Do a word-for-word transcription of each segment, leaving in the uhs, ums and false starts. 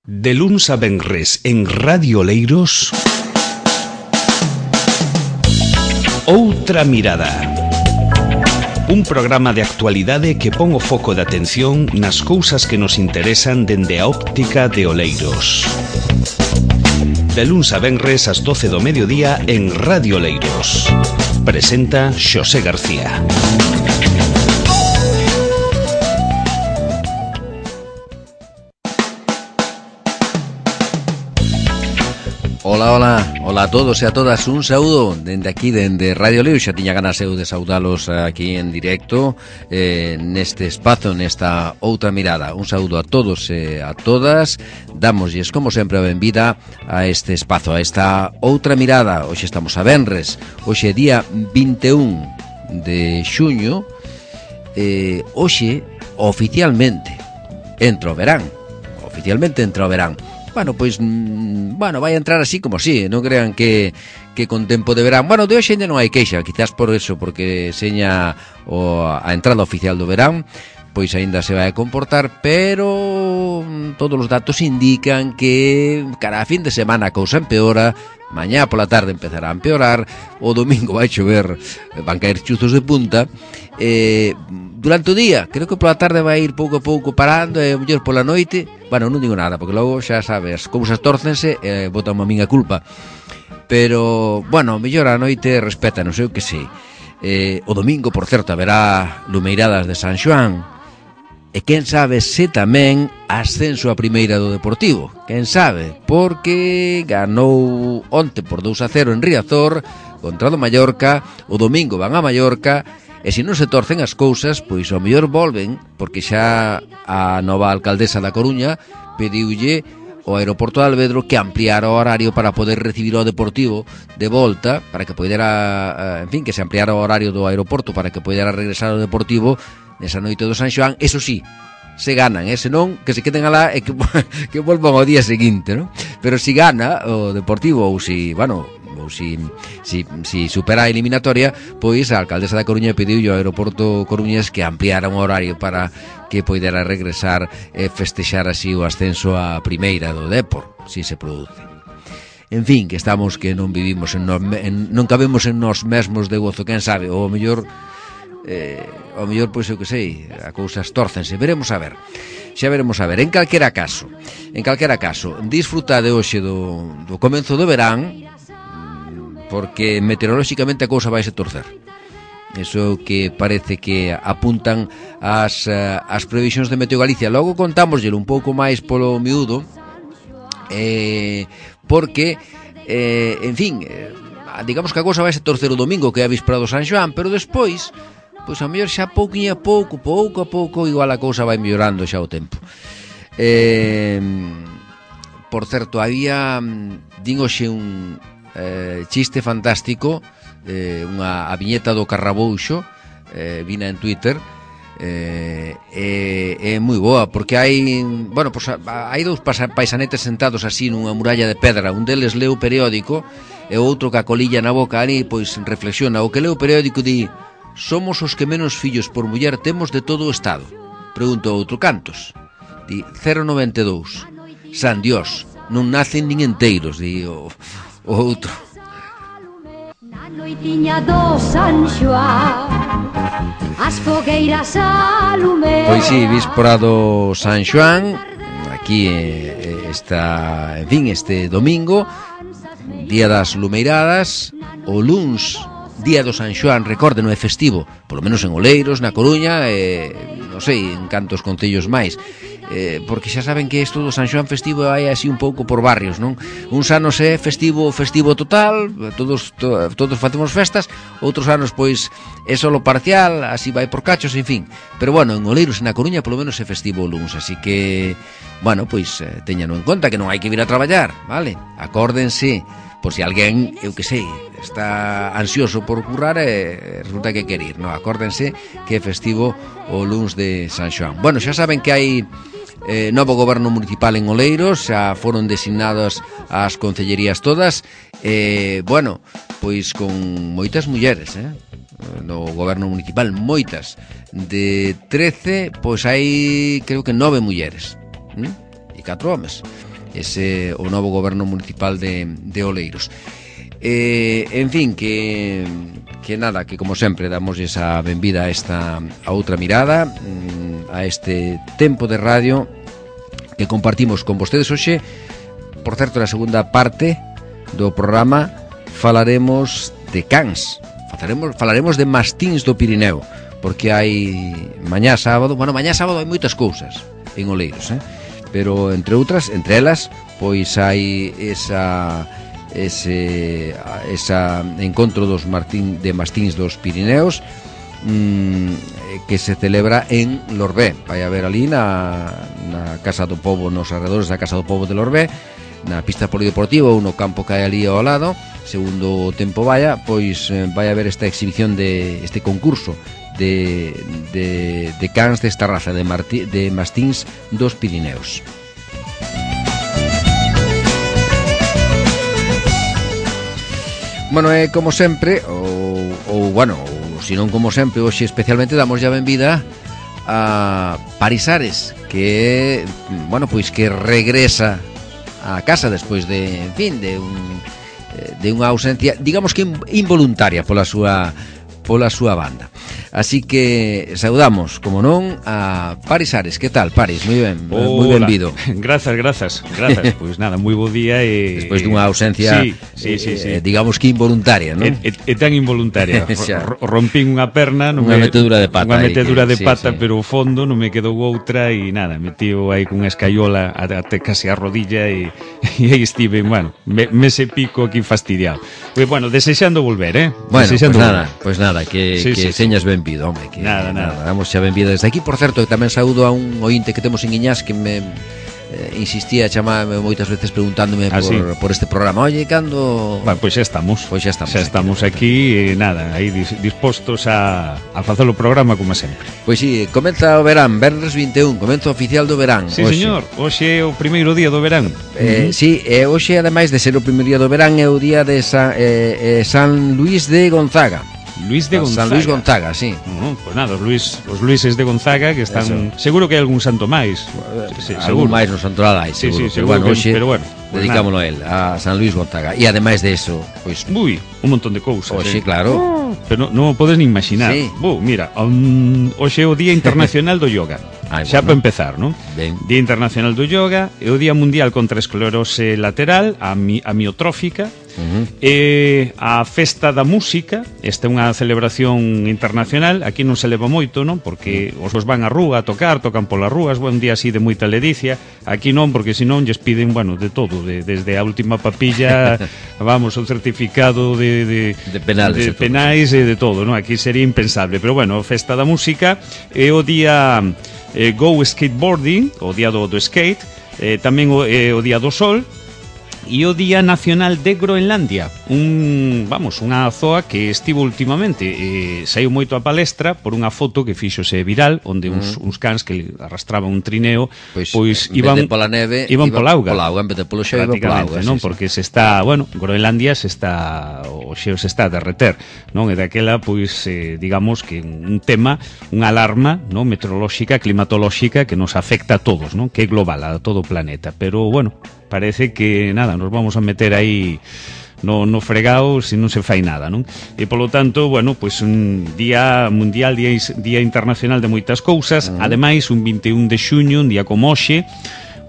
De luns a venres en Radio Oleiros, Outra Mirada. Un programa de actualidade que pon o foco de atención nas cousas que nos interesan dende a óptica de Oleiros. De luns a venres ás doce do mediodía en Radio Oleiros. Presenta Xosé García. Ola, ola, ola a todos e a todas, un saúdo dende aquí, dende Radio Oleiros. Xa tiña ganas eu de saudalos aquí en directo, eh, neste espazo, nesta Outra Mirada. Un saúdo a todos e a todas, dámoslles como sempre a benvida a este espazo, a esta Outra Mirada. Hoxe estamos a venres, hoxe é día vinte e un de xuño, eh, hoxe oficialmente entra o verán, oficialmente entra o verán. Bueno, pois, mmm, bueno, vai entrar así como así, non crean que, que con tempo de verán. Bueno, de hoxe ainda non hai queixa, quizás por eso, porque seña o, a entrada oficial do verán, pois aínda se vai a comportar, pero todos os datos indican que cara a fin de semana a cousa empeora, mañá pola tarde empezará a empeorar, o domingo vai chover, van caer chuzos de punta, eh, durante o día, creo que pola tarde vai ir pouco a pouco parando, e mellor pola noite, bueno, non digo nada, porque logo xa sabes, as cousas tórcense e eh, botan a miña culpa, pero, bueno, mellor a noite respeta, non sei o que sei. Eh, o domingo, por certo, haberá lumeiradas de San Xoán, e quen sabe se tamén ascenso a primeira do Deportivo, quen sabe, porque ganou onte por dous a cero en Riazor contra o Mallorca, o domingo van a Mallorca, e se non se torcen as cousas, pois ao mellor volven, porque xa a nova alcaldesa da Coruña pediulle ao aeroporto de Alvedro que ampliara o horario para poder recibir o Deportivo de volta, para que poidera, en fin, que se ampliara o horario do aeroporto para que poidera regresar ao Deportivo nesa noite do San Xoán. Eso sí, se ganan, eh? Senón que se queden alá e que, que volvan ao día seguinte, ¿no? Pero si gana o Deportivo, ou si, bueno, ou si, si, si supera a eliminatoria, pois a alcaldesa da Coruña pediu ao aeroporto coruñés que ampliara un horario para que poidera regresar e festexar así o ascenso a primeira do Depor, si se produce. En fin, que estamos que non vivimos en, nos, en non cabemos en nós mesmos de gozo, quen sabe, ou o mellor eh, ao mellor, pois eu que sei, a cousas tórcense, veremos a ver. Xa veremos a ver, en calquera caso, en calquera caso, disfrutade hoxe do, do comenzo do verán, porque meteorolóxicamente a cousa vai se torcer. Eso que parece que apuntan as, as previsións de Meteo Galicia. Logo contámosllelo un pouco máis polo miúdo, eh, porque, eh, en fin, eh, digamos que a cousa vai se torcer o domingo, que é a víspera do San Xoán, pero despois, pois a mellor xa pouquinho a pouco, pouco a pouco, igual a cousa vai mellorando xa o tempo. Eh, por certo, había, din hoxe un eh, chiste fantástico, eh, unha a viñeta do Carrabouxo, eh, vina en Twitter, eh, é, é moi boa, porque hai, bueno, pues, hai dous paisanetes sentados así nunha muralla de pedra, un deles leu o periódico e o outro ca colilla na boca ali, pois reflexiona. O que leu o periódico di: somos os que menos fillos por muller temos de todo o Estado. Pregunta o outro: cantos? Di cero coma noventa e dous. San Dios, non nacen nin enteiros, di o, o outro. Na noitiña do San Xoán, as fogueiras a lume. Pois si, víspora do San Xoán, aquí eh, está, en fin, este domingo, día das lumeiradas, o luns, día do San Xoán, recorde, non é festivo, polo menos en Oleiros, na Coruña, e non sei, en cantos concellos máis, eh, porque xa saben que isto do San Xoán festivo hai así un pouco por barrios, non? Uns anos é festivo, festivo total, todos to, todos facemos festas, outros anos pois é solo parcial, así vai por cachos, en fin. Pero bueno, en Oleiros e na Coruña polo menos é festivo o luns, así que, bueno, pois eh, teñano en conta que non hai que vir a traballar, vale? Acórdense, por si alguén, eu que sei, está ansioso por currar e resulta que quer ir, no, acórdense que é festivo o luns de San Xoán. Bueno, xa saben que hai eh, novo goberno municipal en Oleiros, xa foron designadas as concellerías todas, e, eh, bueno, pois con moitas mulleres, eh? No goberno municipal, moitas. De trece, pois hai, creo que nove mulleres, ¿eh? E catro homes. ese o novo goberno municipal de, de Oleiros. Eh, en fin, que que nada, que como sempre damos esa benvida a esta a outra mirada, a este tempo de radio que compartimos con vostedes hoxe. Por certo, na segunda parte do programa falaremos de cans, falaremos, falaremos de mastíns do Pirineo, porque hai mañá sábado, bueno, mañá sábado hai moitas cousas en Oleiros, eh? Pero entre outras, entre elas, pois hai esa ese esa encontro dos Martín de mastíns dos Pirineos, mmm, que se celebra en Lorbé. Vai haber ali na, na Casa do Pobo, nos alrededores da Casa do Pobo de Lorbé, na pista polideportiva ou no campo que hai ali ao lado. Segundo o tempo vaya, pois vai haber esta exhibición de este concurso de, de, de cans desta raza de, martí, de mastíns dos Pirineos. Bueno, é como sempre, ou, ou bueno, ou se non como sempre, hoxe especialmente damos ya benvida a Parisares, que, bueno, pois que regresa a casa despois de, en fin, de un de unha ausencia, digamos que involuntaria pola súa pola súa banda. Así que saudamos, como non, a Paris Ares. Que tal, Paris? Moi ben, moi benvido. Grazas, grazas, grazas. Pois pues nada, moi bo día e despois dunha ausencia, sí, sí, sí, sí. Eh, digamos que involuntaria, non? É, é, é tan involuntaria. Rompín unha perna, non unha me, metedura de pata, unha metedura que, de pata, sí, sí. Pero o fondo non me quedou outra e nada, metío aí cunha escaiola até casi a rodilla e, e aí estive, bueno, me, mese pico aquí fastidiado. Pois bueno, desexando volver, eh? Bueno, pois pues nada, pois pues nada, que, sí, que sí, señas sí. benvido, home, que nada, nada. nada, damos xa benvida desde aquí. Por certo, tamén saúdo a un ointe que temos en Iñás que me eh, insistía a chamarme moitas veces preguntándome ah, por, sí. por este programa. Oye, cando... Bueno, pois pues xa estamos. Pois pues xa estamos. Xa estamos aquí, aquí e nada, aí dispostos a, a facer o programa como sempre. Pois pues sí, comeza o verán, venres vinte e un, comeza oficial do verán. Sí, oxe. Señor, hoxe é o primeiro día do verán. Eh, uh -huh. Sí, e hoxe, ademais de ser o primeiro día do verán, é o día de San, eh, eh, San Luís de Gonzaga. Luís de Gonzaga. San Luís Gonzaga, sí. Uh, pues nada, os Luís, os Luíses de Gonzaga que están, eso. Seguro que hai algún santo máis. Sí, sí, algún máis no santoral hai, seguro. Sí, sí, seguro pero, bueno, que, pero bueno, pues dedicámoslo a él, a San Luís Gonzaga. E ademais de eso, pois pues, uy, un montón de cousas. Oxe, eh. claro. Oh, pero non o podes nin imaginar. Sí. Bu, mira, um, hoxe é o Día Internacional do Yoga. Ay, xa bueno. Para empezar, non? Ben. Día Internacional do Yoga, é o Día Mundial contra a Esclerose Lateral, a mi, amiotrófica. Uh-huh. E a Festa da Música, esta é unha celebración internacional. Aquí non se leva moito, non? Porque os van á rúa a tocar, tocan polas rúas, un día así de moita ledicia. Aquí non, porque senón lles piden, bueno, de todo, de, desde a última papilla, vamos, o certificado de, de, de penales, de penais e de todo, non? Aquí sería impensable, pero bueno, a Festa da Música é o día eh, Go Skateboarding, o día do, do skate, eh, tamén o, eh, o día do sol. E o Día Nacional de Groenlandia, un, vamos, unha zoa que estivo últimamente, eh, saiu moito a palestra por unha foto que fíxose viral, onde uns, mm. uns cans que arrastraban un trineo, pois, pois iban pola neve, iban pola auga, pola auga, en vez de polo xeo, iban pola auga, non? Sí, Porque sí. se está, bueno, Groenlandia se está, o xeo se está a derreter, non? E daquela, pois, eh, digamos que un tema, unha alarma, non? Meteorolóxica, climatolóxica que nos afecta a todos, non? Que é global, a todo o planeta, pero, bueno, parece que, nada, nos vamos a meter aí no, no fregado se non se fai nada, non? E, polo tanto, bueno, pois un día mundial, día, día internacional de moitas cousas, uh -huh. Ademais, un vinte e un de xuño, un día como hoxe,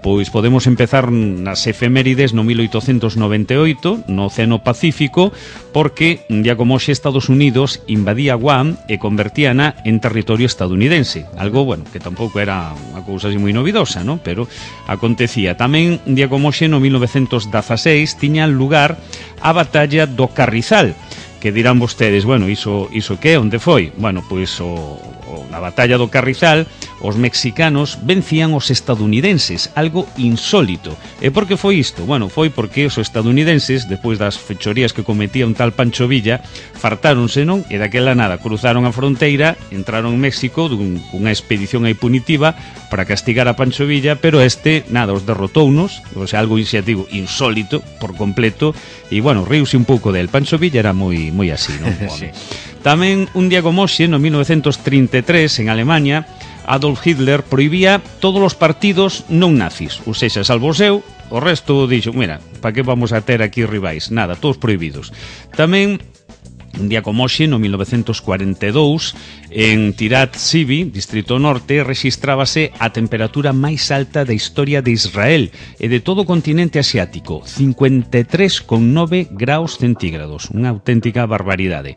pois podemos empezar nas efemérides no mil oitocentos noventa e oito, no Océano Pacífico, porque un día como hoxe Estados Unidos invadía Guam e convertíana en territorio estadounidense. Algo, bueno, que tampouco era unha cousa así moi novidosa, non? Pero acontecía. Tamén un día como hoxe no mil novecentos dezaseis tiña lugar a batalla do Carrizal, que dirán vostedes, bueno, iso, iso que, onde foi? Bueno, pois o, o, na batalla do Carrizal os mexicanos vencían os estadounidenses, algo insólito. E por que foi isto? Bueno, foi porque os estadounidenses, depois das fechorías que cometía un tal Pancho Villa, fartáronse, non? E daquela nada, cruzaron a fronteira, entraron en México dun, unha expedición aí punitiva para castigar a Pancho Villa, pero este, nada, os derrotounos, o sea, algo iniciativo insólito, por completo, e, bueno, riuse un pouco del. Pancho Villa era moi, moi así, non? Sí. Tamén, un día como hoxe, no mil novecentos trinta e tres, en Alemania, Adolf Hitler prohibía todos os partidos non nazis, ou seja, salvo o seu, O resto dixo, mira, para que vamos a ter aquí rivais? Nada, todos prohibidos. Tamén un día como hoxe, no mil novecentos cuarenta e dous, en Tirat Sibi, Distrito Norte, rexistrábase a temperatura máis alta da historia de Israel e de todo o continente asiático, cincuenta e tres coma nove graus centígrados, unha auténtica barbaridade.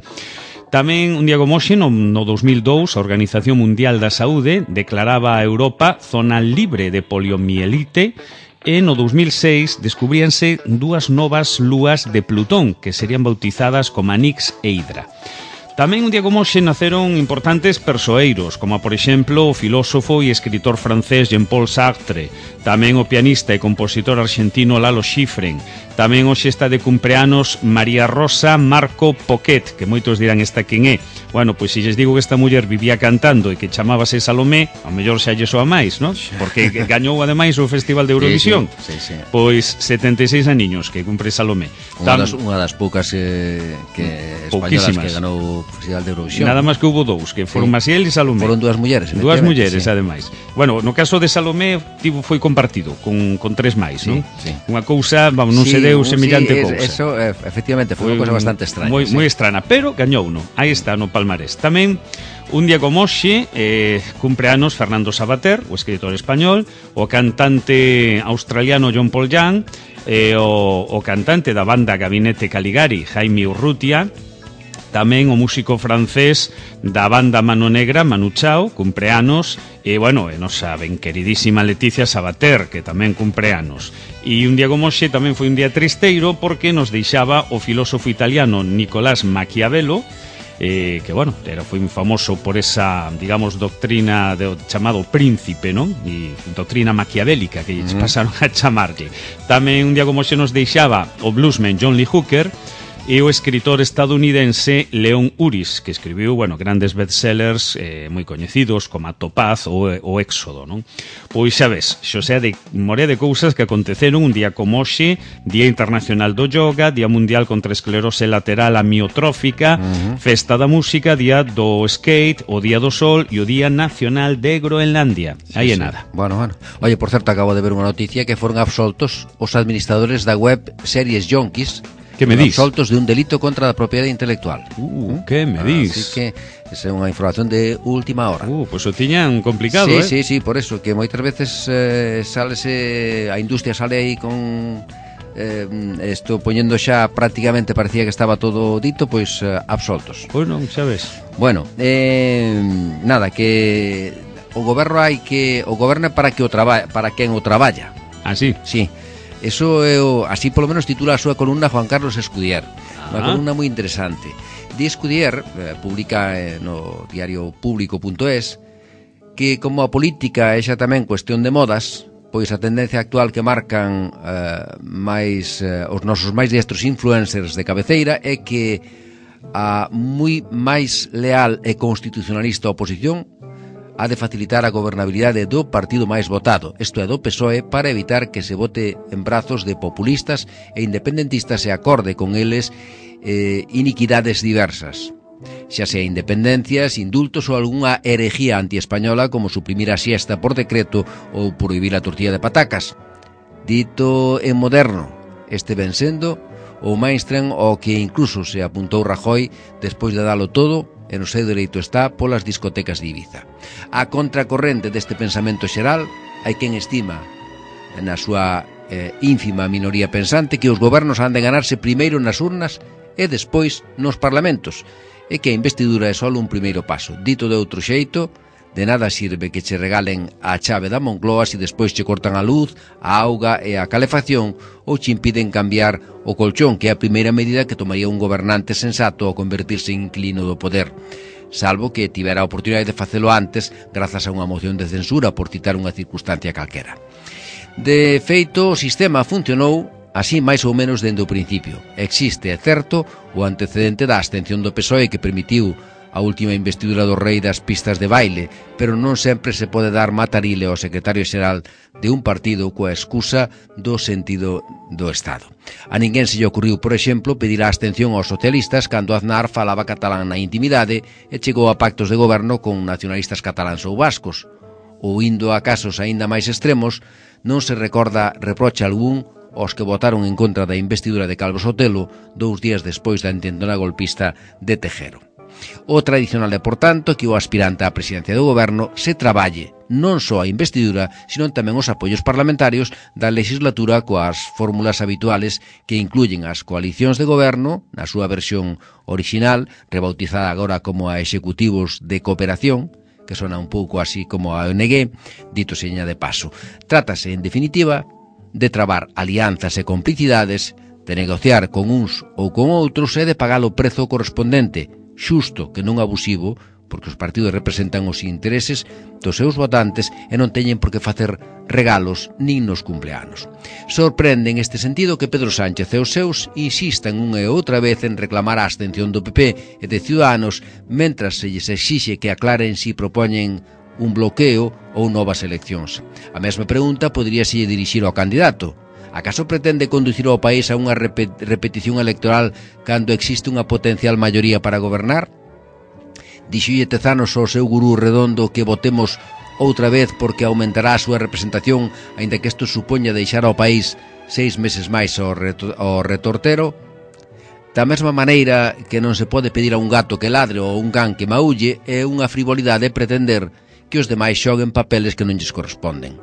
Tamén, un día como hoxe, no, no dos mil dous, a Organización Mundial da Saúde declaraba a Europa zona libre de poliomielite. E no dos mil seis descubríanse dúas novas lúas de Plutón que serían bautizadas como Nix e Hydra. Tamén un día como hoxe naceron importantes persoeiros, como por exemplo o filósofo e escritor francés Jean-Paul Sartre, tamén o pianista e compositor argentino Lalo Schifrin. Tamén hoxe está de cumpleanos María Rosa Marco Poquet, que moitos dirán esta quen é. Bueno, pois se lles digo que esta muller vivía cantando e que chamábase Salomé, ao mellor xa lle soa máis, non? Porque gañou ademais o Festival de Eurovisión. Sí, sí, sí, sí. Pois setenta e seis aniños que cumpre Salomé. Unha das, unha das poucas eh, que españolas que ganou o Festival de Eurovisión. Nada máis que houve dous, que foron sí. Maciel e Salomé. Foron dúas mulleres, Dúas mulleres, sí. Ademais. Bueno, no caso de Salomé tivo, foi compartido con, con tres máis, sí, non? Sí. Unha cousa, vamos, non sí, se deu semellante sí, cousa. Eso, efectivamente, foi unha cousa bastante extraña. Moi, sí. moi extraña, pero gañou uno. Aí está, no palmarés. Tamén, un día como hoxe, eh, cumpleanos Fernando Savater, o escritor español, o cantante australiano John Paul Young, eh, o, o cantante da banda Gabinete Caligari, Jaime Urrutia, tamén o músico francés da banda Mano Negra, Manu Chao, cumpleanos, e, bueno, e nosa ben queridísima Leticia Sabater, que tamén cumpleanos. E un día como hoxe tamén foi un día tristeiro porque nos deixaba o filósofo italiano Nicolás Maquiavelo, eh, que, bueno, era foi moi famoso por esa, digamos, doctrina de, chamado príncipe, non? E doctrina maquiavélica que uh-huh. pasaron a chamarlle. Tamén un día como hoxe nos deixaba o bluesman John Lee Hooker e o escritor estadounidense Leon Uris, que escribiu, bueno, grandes bestsellers eh, moi coñecidos como a Topaz ou o Éxodo, non? Pois xa ves, xosea de morea de cousas que aconteceron un día como hoxe, Día Internacional do Yoga, Día Mundial contra a Esclerose Lateral Amiotrófica, uh-huh. Festa da Música, Día do Skate, o Día do Sol e o Día Nacional de Groenlandia. Sí, aí é sí. Nada. Bueno, bueno. Oye, por certo, acabo de ver unha noticia que foron absoltos os administradores da web Series Junkies. Que me dis? Absoltos de un delito contra a propiedade intelectual. Uh, que me dis? Así que esa é unha información de última hora. Uh, pois pues o tiñan complicado, sí, eh? Sí, sí, por eso, que moitas veces eh, salese, a industria sale aí con eh, esto poñendo xa prácticamente parecía que estaba todo dito, pois eh, absoltos. Pois non, xa ves. Bueno, eh, nada, que o goberno hai que o goberno para que o traba, para quen o traballa. Ah, sí? Sí. Eso é o, así polo menos titula a súa columna Juan Carlos Escudier. Ah. Unha columna moi interesante. Di Escudier, eh, publica eh, no diario público punto es, que como a política é xa tamén cuestión de modas, pois a tendencia actual que marcan eh, máis eh, os nosos máis destros influencers de cabeceira é que a moi máis leal e constitucionalista oposición ha de facilitar a gobernabilidade do partido máis votado, isto é, do P S O E, para evitar que se vote en brazos de populistas e independentistas e acorde con eles eh, iniquidades diversas, xa sea independencias, indultos ou algunha herejía antiespañola como suprimir a siesta por decreto ou prohibir a tortilla de patacas. Dito en moderno, este ven sendo o mainstream ao que incluso se apuntou Rajoy despois de dalo todo, e no seu dereito está polas discotecas de Ibiza. A contracorrente deste pensamento xeral hai quen estima na súa eh, ínfima minoría pensante que os gobernos han de ganarse primeiro nas urnas e despois nos parlamentos, e que a investidura é só un primeiro paso. Dito de outro xeito, de nada sirve que che regalen a chave da Moncloa se despois che cortan a luz, a auga e a calefacción ou che impiden cambiar o colchón, que é a primeira medida que tomaría un gobernante sensato ao convertirse en inquilino do poder, salvo que tivera a oportunidade de facelo antes grazas a unha moción de censura, por citar unha circunstancia calquera. De feito, o sistema funcionou así máis ou menos dende o principio. Existe, é certo, o antecedente da abstención do P S O E que permitiu a última investidura do rei das pistas de baile, pero non sempre se pode dar matarile ao secretario xeral de un partido coa excusa do sentido do Estado. A ninguén se lle ocurriu, por exemplo, pedir a abstención aos socialistas cando Aznar falaba catalán na intimidade e chegou a pactos de goberno con nacionalistas cataláns ou vascos, ou indo a casos aínda máis extremos non se recorda reproche algún aos que votaron en contra da investidura de Calvo Sotelo dous días despois da intentona golpista de Tejero. O tradicional é, por tanto, que o aspirante á presidencia do goberno se traballe non só a investidura, sino tamén os apoios parlamentarios da legislatura coas fórmulas habituales que incluyen as coalicións de goberno, na súa versión original, rebautizada agora como a executivos de cooperación, que sona un pouco así como a O N G, dito seña de paso. Trátase, en definitiva, de trabar alianzas e complicidades, de negociar con uns ou con outros e de pagar o prezo correspondente, xusto que non abusivo, porque os partidos representan os intereses dos seus votantes e non teñen por que facer regalos nin nos cumpleanos. Sorprende en este sentido que Pedro Sánchez e os seus insistan unha e outra vez en reclamar a abstención do P P e de Ciudadanos, mentras se lles exixe que aclaren si propoñen un bloqueo ou novas eleccións. A mesma pregunta poderíase dirixir ao candidato. Acaso pretende conducir ao país a unha repetición electoral cando existe unha potencial maioría para gobernar? Dixolle Tezanos ao seu gurú redondo que votemos outra vez porque aumentará a súa representación, aínda que isto supoña deixar ao país seis meses máis ao, reto, ao retortero? Da mesma maneira que non se pode pedir a un gato que ladre ou a un can que maulle, é unha frivolidade pretender que os demais xoguen papeles que non lles corresponden.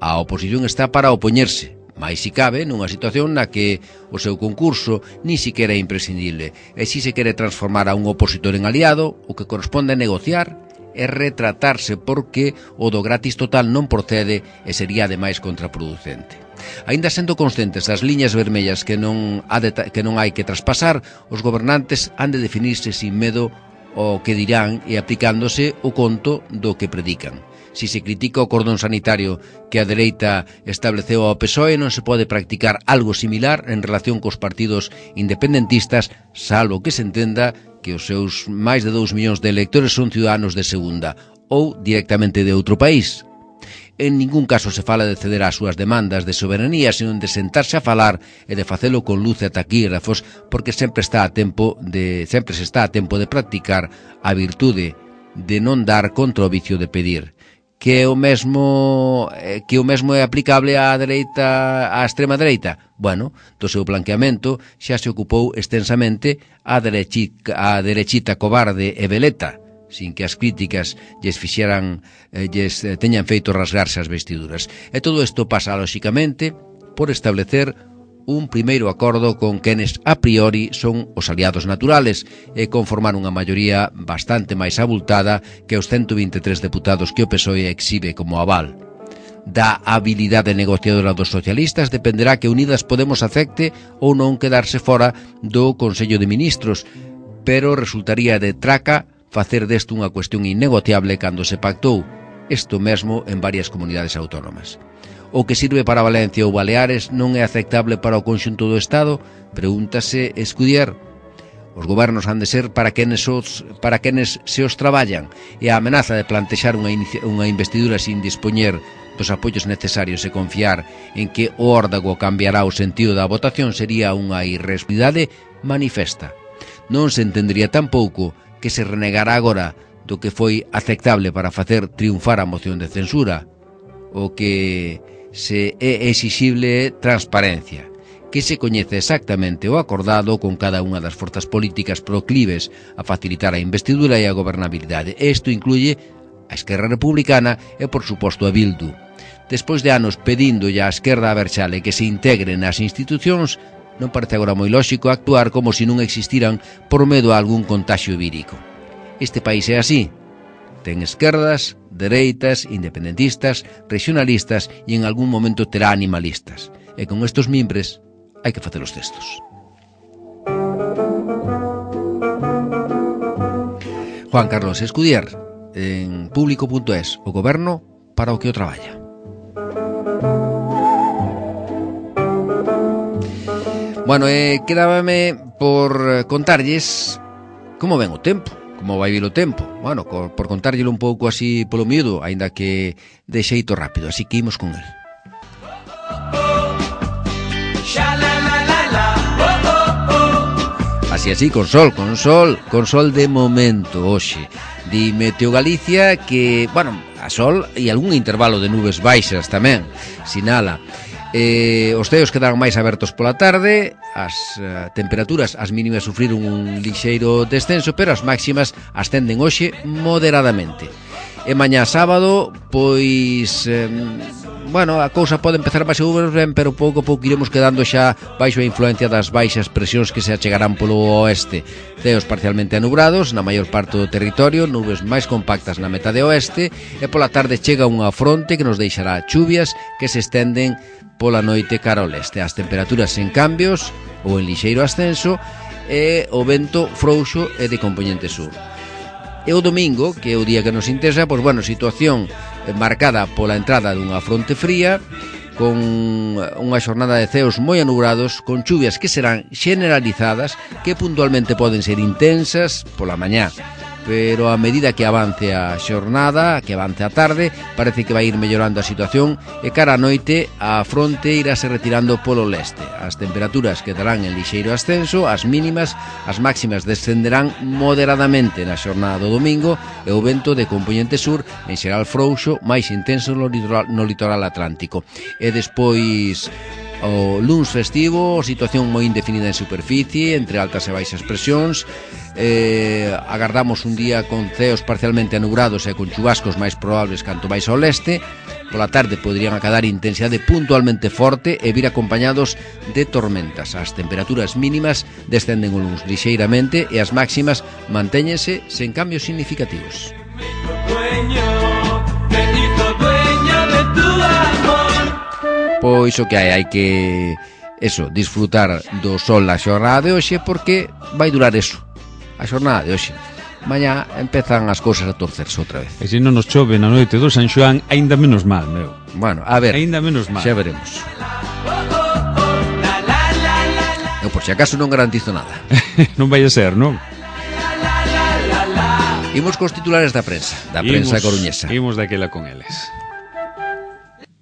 A oposición está para opoñerse, mais si cabe nunha situación na que o seu concurso ni siquiera é imprescindible, e si se quere transformar a un opositor en aliado, o que corresponde é negociar e retratarse, porque o do gratis total non procede e sería ademais contraproducente. Aínda sendo conscientes das liñas vermellas que non, ha de, que non hai que traspasar, os gobernantes han de definirse sin medo ao que dirán e aplicándose o conto do que predican. Si se critica o cordón sanitario que a dereita estableceu ao P S O E, non se pode practicar algo similar en relación cos partidos independentistas, salvo que se entenda que os seus máis de dous millóns de electores son ciudadanos de segunda ou directamente de outro país. En ningún caso se fala de ceder ás súas demandas de soberanía, sino de sentarse a falar e de facelo con luz e taquígrafos, porque sempre está a tempo de sempre se está a tempo de practicar a virtude de non dar contra o vicio de pedir. Que o mesmo que o mesmo é aplicable á dereita, á extrema dereita. Bueno, do seu blanqueamento xa se ocupou extensamente a derechita, a derechita cobarde e veleta, sin que as críticas lles fixeran, lles teñan feito rasgarse as vestiduras. E todo isto pasa, lóxicamente, por establecer un primeiro acordo con quenes a priori son os aliados naturales e conformar unha maioría bastante máis abultada que os ciento vinte e tres deputados que o P S O E exhibe como aval. Da habilidade negociadora dos socialistas dependerá que Unidas Podemos acepte ou non quedarse fora do Consello de Ministros, pero resultaría de traca facer deste unha cuestión innegociable cando se pactou isto mesmo en varias comunidades autónomas. O que sirve para Valencia ou Baleares non é aceptable para o conxunto do Estado? Pregúntase Escudier. Os gobernos han de ser para quenes, os, para quenes se os traballan, e a amenaza de plantexar unha, unha investidura sin dispoñer dos apoios necesarios e confiar en que o órdago cambiará o sentido da votación sería unha irresponsabilidade manifesta. Non se entendería tampouco que se renegara agora do que foi aceptable para facer triunfar a moción de censura, o que se é exixible transparencia, que se coñece exactamente o acordado con cada unha das forzas políticas proclives a facilitar a investidura e a gobernabilidade. Isto incluye a Esquerra Republicana e, por suposto, a Bildu. Despois de anos pedindolle á esquerda aberxale que se integre nas institucións, non parece agora moi lóxico actuar como se non existiran por medo a algún contaxio vírico. Este país é así. Ten esquerdas, dereitas, independentistas, regionalistas e en algún momento terá animalistas. E con estos mimbres hai que facer os textos. Juan Carlos Escudier, en público punto es, o goberno para o que o traballa. Bueno, eh, quedábame por contarlles como ven o tempo. Como vai vir o tempo? Bueno, por contárllelo un pouco así polo miúdo, aínda que de xeito rápido, así que imos con el. Así, así, con sol, con sol, con sol de momento, hoxe. Di Meteo Galicia que, bueno, a sol e algún intervalo de nubes baixas tamén, sinala. Eh, os ceos quedan máis abertos pola tarde, as uh, temperaturas, as mínimas sufriron un lixeiro descenso, pero as máximas ascenden hoxe moderadamente. E mañá sábado, pois, eh, bueno, a cousa pode empezar máis ou menos ben, pero pouco a pouco iremos quedando xa baixo a influencia das baixas presións que se achegarán polo oeste. Ceos parcialmente anubrados na maior parte do territorio, nubes máis compactas na metade oeste, e pola tarde chega unha fronte que nos deixará chuvias que se estenden pola noite cara ao leste. As temperaturas sen cambios ou en lixeiro ascenso e o vento frouxo e de compoñente sur. E o domingo, que é o día que nos interesa, pois bueno, situación marcada pola entrada dunha fronte fría, con unha xornada de ceos moi anubrados, con chuvias que serán generalizadas, que puntualmente poden ser intensas pola mañá, pero a medida que avance a xornada, que avance a tarde, parece que vai ir mellorando a situación e cara a noite a fronte irase retirando polo leste. As temperaturas quedarán en lixeiro ascenso, as mínimas, as máximas descenderán moderadamente na xornada do domingo e o vento de compoñente sur en xeral frouxo, máis intenso no litoral, no litoral atlántico. E despois o luns festivo, situación moi indefinida en superficie, entre altas e baixas presións. Eh, agardamos un día con ceos parcialmente anubrados e con chubascos máis probables canto máis ao leste. Pola tarde poderían acadar intensidade puntualmente forte e vir acompañados de tormentas. As temperaturas mínimas descenden o luns lixeiramente e as máximas mantéñense sen cambios significativos. Pois o que hai, hai que eso, disfrutar do sol na xornada de hoxe, porque vai durar eso, a xornada de hoxe. Mañá empezan as cousas a torcerse outra vez. E se non nos chove na noite do San Xoán, aínda menos mal, meu. Bueno, a ver, aínda menos mal. Xa veremos. Eu por si acaso non garantizo nada. Non vai a ser, non? Imos cos titulares da prensa, da prensa imos, coruñesa. Imos daquela con eles.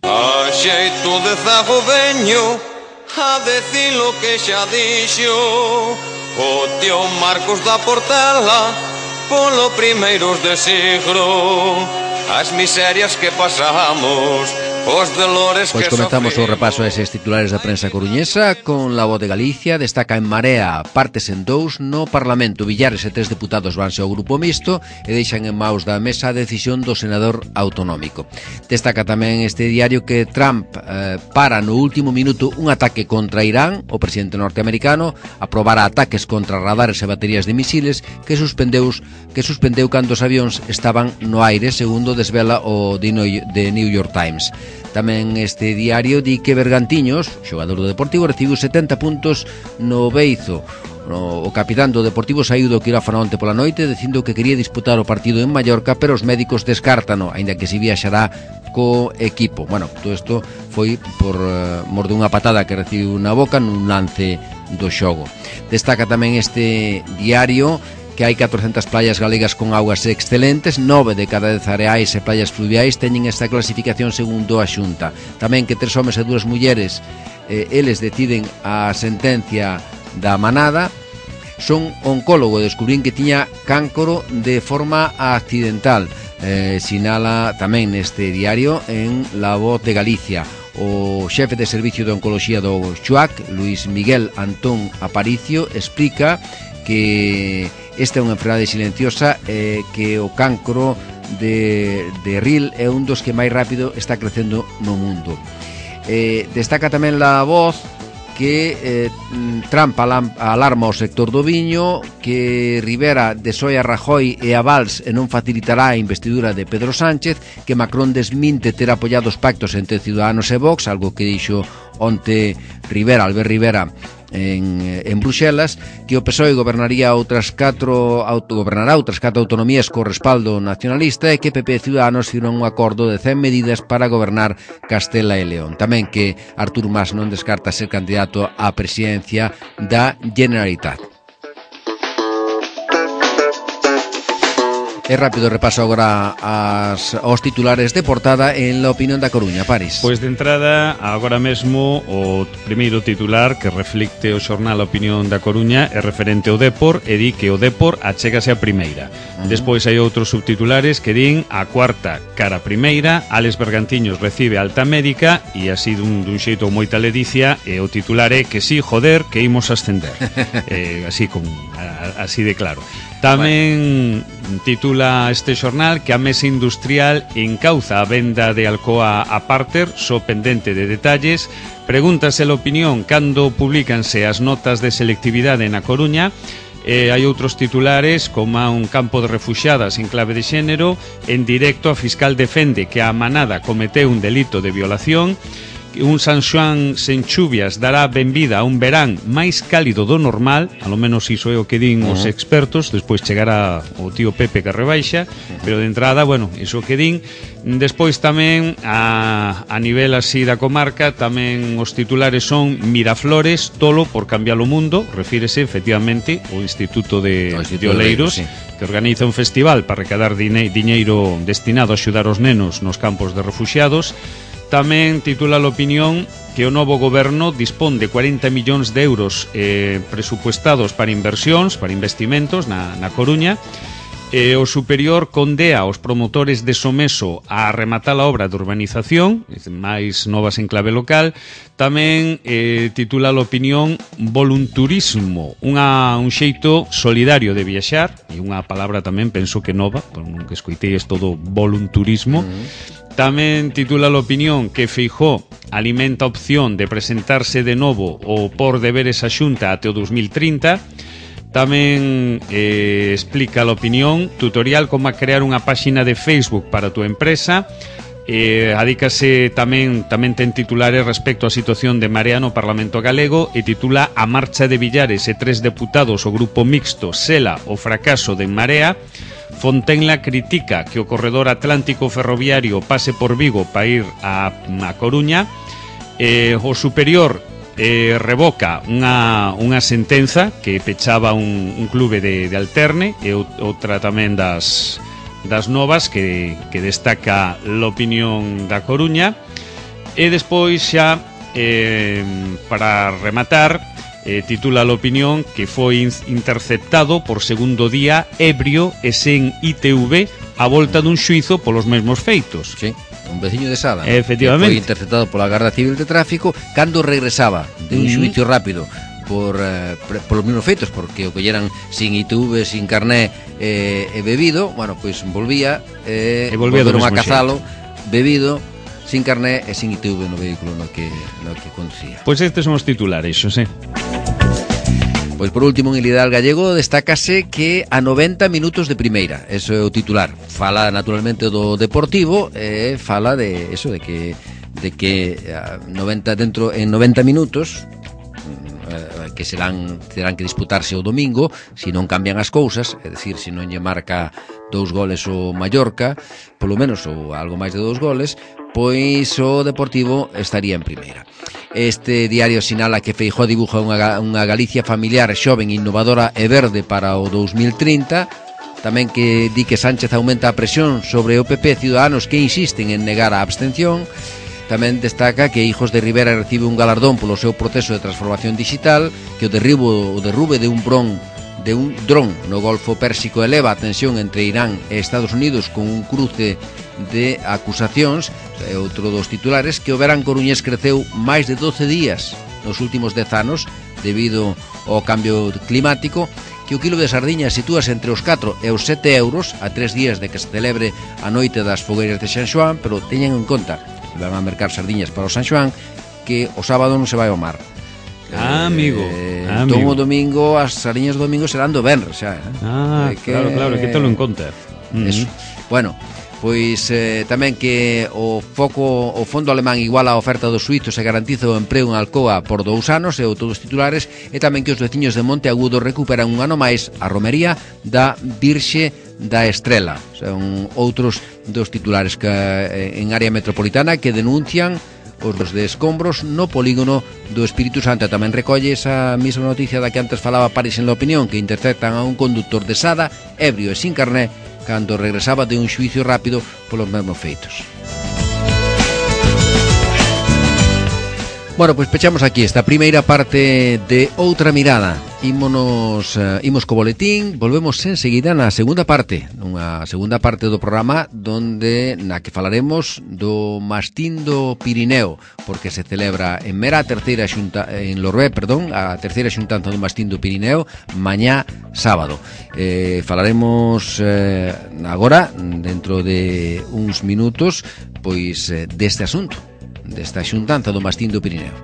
A xeito de zago veño a decir lo que xa dixo o tío Marcos da Portela polo primeiros de siglo, as miserias que pasamos, os dolores Pois que comenzamos o sofrimos. repaso a eses titulares da prensa coruñesa con La Voz de Galicia. Destaca en Marea, partes en dous no Parlamento. Villares e tres deputados vanse ao grupo mixto e deixan en maus da mesa a decisión do senador autonómico. Destaca tamén este diario que Trump eh, para no último minuto un ataque contra Irán. O presidente norteamericano aprobara ataques contra radares e baterías de misiles que suspendeu, que suspendeu cando os avións estaban no aire, segundo desvela o The New York Times. Tamén este diario di que Bergantiños, xogador do Deportivo, recibiu setenta puntos no Beizo. O capitán do Deportivo saiu do quirófano onte pola noite dicindo que quería disputar o partido en Mallorca, pero os médicos descártano, aínda que si viaxará co equipo. Bueno, todo isto foi por uh, mor dunha patada que recibiu na boca nun lance do xogo. Destaca tamén este diario que hai catrocentas playas galegas con augas excelentes, nove de cada dez areais e playas fluviais teñen esta clasificación segundo a Xunta. Tamén que tres homes e dúas mulleres, eh, eles deciden a sentencia da manada. Son oncólogo, descubrín que tiña cáncoro de forma accidental. Eh, sinala tamén neste diario en La Voz de Galicia. O xefe de servicio de oncoloxía do Chuac, Luis Miguel Antón Aparicio, explica que esta é unha enfermedade silenciosa e eh, que o cancro de, de ril é un dos que máis rápido está crecendo no mundo. Eh, destaca tamén La Voz que eh, Trump alarma o sector do viño, que Rivera desoe a Rajoy e a Valls e non facilitará a investidura de Pedro Sánchez, que Macron desminte ter apoiado os pactos entre Ciudadanos e Vox, algo que dixo onte Rivera, Albert Rivera, en, en Bruxelas, que o P S O E gobernaría outras catro autogobernará outras catro autonomías co respaldo nacionalista e que P P e Ciudadanos firman un acordo de cen medidas para gobernar Castela e León. Tamén que Artur Mas non descarta ser candidato á presidencia da Generalitat. E rápido repaso agora as, os titulares de portada en la opinión da Coruña, Paris. Pois de entrada, agora mesmo o primeiro titular que reflicte o xornal A Opinión da Coruña é referente ao Dépor e di que o Dépor achégase a primeira. Uh -huh. Despois hai outros subtitulares que din a cuarta cara a primeira, Alex Bergantiños recibe alta médica e así dun, dun xeito moita ledicia e o titular é que sí, joder, que imos ascender. eh, así con a, así de claro. Tamén bueno. Titula este xornal que a Mesa Industrial encauza a venda de Alcoa a Parter, só pendente de detalles. Pregúntase a opinión cando publicanse as notas de selectividade na Coruña. Eh, hai outros titulares como a un campo de refuxiadas en clave de xénero. En directo a fiscal defende que a manada cometeu un delito de violación. Un San Xoán sen chuvias dará benvida a un verán máis cálido do normal, a lo menos iso é o que din uh -huh. os expertos. Despois chegará o tío Pepe que rebaixa, uh -huh. pero de entrada, bueno, iso que din. Despois tamén a, a nivel así da comarca, tamén os titulares son Miraflores, tolo por cambiar o mundo. Refírese efectivamente ao Instituto de, de Oleiros, sí, que organiza un festival para recadar dine, diñeiro destinado a axudar os nenos nos campos de refuxiados. Tamén titula a opinión que o novo goberno dispón de cuarenta millóns de euros eh, presupuestados para inversións, para investimentos na, na Coruña. E o superior condea aos promotores de Someso a rematar a obra de urbanización, máis novas en clave local. Tamén eh, titula a opinión volunturismo, unha, un xeito solidario de viaxar, e unha palabra tamén penso que nova, por non que escoitei isto do volunturismo. Mm. Tamén titula a opinión que Feijóo alimenta a opción de presentarse de novo ou por deberes a Xunta até o dos mil trinta. Tamén eh, explica a opinión tutorial como a crear unha páxina de Facebook para a túa empresa. Eh, adícase tamén tamén ten titulares respecto á situación de Marea no Parlamento Galego e titula a marcha de Villares e tres deputados o grupo mixto sela o fracaso de Marea. Fontenla critica que o corredor atlántico ferroviario pase por Vigo para ir a, a Coruña. Eh, o superior eh, revoca unha, unha sentenza que pechaba un, un clube de, de Alterne, e outra tamén das, das novas que, que destaca a opinión da Coruña. E despois xa eh, para rematar, Eh, titula a opinión que foi interceptado por segundo día ebrio e sen I T V a volta dun xuizo polos mesmos feitos. Sí, un veciño de Sada, efectivamente, foi interceptado pola Garda Civil de Tráfico cando regresaba de un xuicio mm. rápido por, eh, por los mismos feitos, porque o colleran sin I T V, sin carné eh, e bebido. Bueno, pois pues, volvía eh, e volveron a cazalo bebido, sin carné e sin I T V no vehículo no que, no que conducía. Pois pues estes son os titulares, Xosé. Pois por último, en Ilidal Gallego destácase que a noventa minutos de primeira, eso é o titular. Fala naturalmente do Deportivo, e eh, fala de eso, de que de que noventa dentro en noventa minutos eh, que serán terán que disputarse o domingo, se non cambian as cousas, é dicir, se non lle marca dous goles o Mallorca, polo menos ou algo máis de dous goles, pois o Deportivo estaría en primeira. Este diario sinala que Feijóo dibuja unha, unha Galicia familiar, xoven, innovadora e verde para o dos mil trinta. Tamén que di que Sánchez aumenta a presión sobre o P P e Ciudadanos que insisten en negar a abstención. Tamén destaca que Hijos de Rivera recibe un galardón polo seu proceso de transformación digital, que o derribo o derrube de un bron de un dron no Golfo Pérsico eleva a tensión entre Irán e Estados Unidos con un cruce de acusacións. É outro dos titulares, que o verán coruñés creceu máis de doce días nos últimos dez anos debido ao cambio climático, que o quilo de sardiñas sitúase entre os catro e os sete euros a tres días de que se celebre a noite das fogueiras de San Xoán, pero teñen en conta que van a mercar sardiñas para o San Xoán, que o sábado non se vai ao mar. Ah, amigo. Eh, ah, entón amigo. o domingo, as sardiñas do domingo serán do venres xa. Eh? Ah, que, claro, claro, que telo en conta. Eso. Mm-hmm. Bueno, pois eh, tamén que o foco o fondo alemán iguala a oferta dos suizos e garantiza o emprego en Alcoa por dous anos, e todos os titulares. E tamén que os veciños de Monte Agudo recuperan un ano máis a romería da Virxe da Estrela. Son outros dos titulares que en área metropolitana que denuncian os de escombros no polígono do Espírito Santo. Tamén recolle esa mesma noticia da que antes falaba Paris en la opinión, que interceptan a un conductor de Sada ebrio e sin carné cando regresaba de un xuicio rápido polos mesmos feitos. Bueno, pois pechamos aquí esta primeira parte de Outra Mirada. Ímonos, uh, imos co boletín, volvemos enseguida na segunda parte, nunha segunda parte do programa donde na que falaremos do Mastín do Pirineo, porque se celebra en Mera a terceira xunta, en Lorbé, perdón, a terceira xuntanza do Mastín do Pirineo mañá sábado. Eh, falaremos eh, agora, dentro de uns minutos, pois eh, deste asunto, desta xuntanza do Mastín do Pirineo.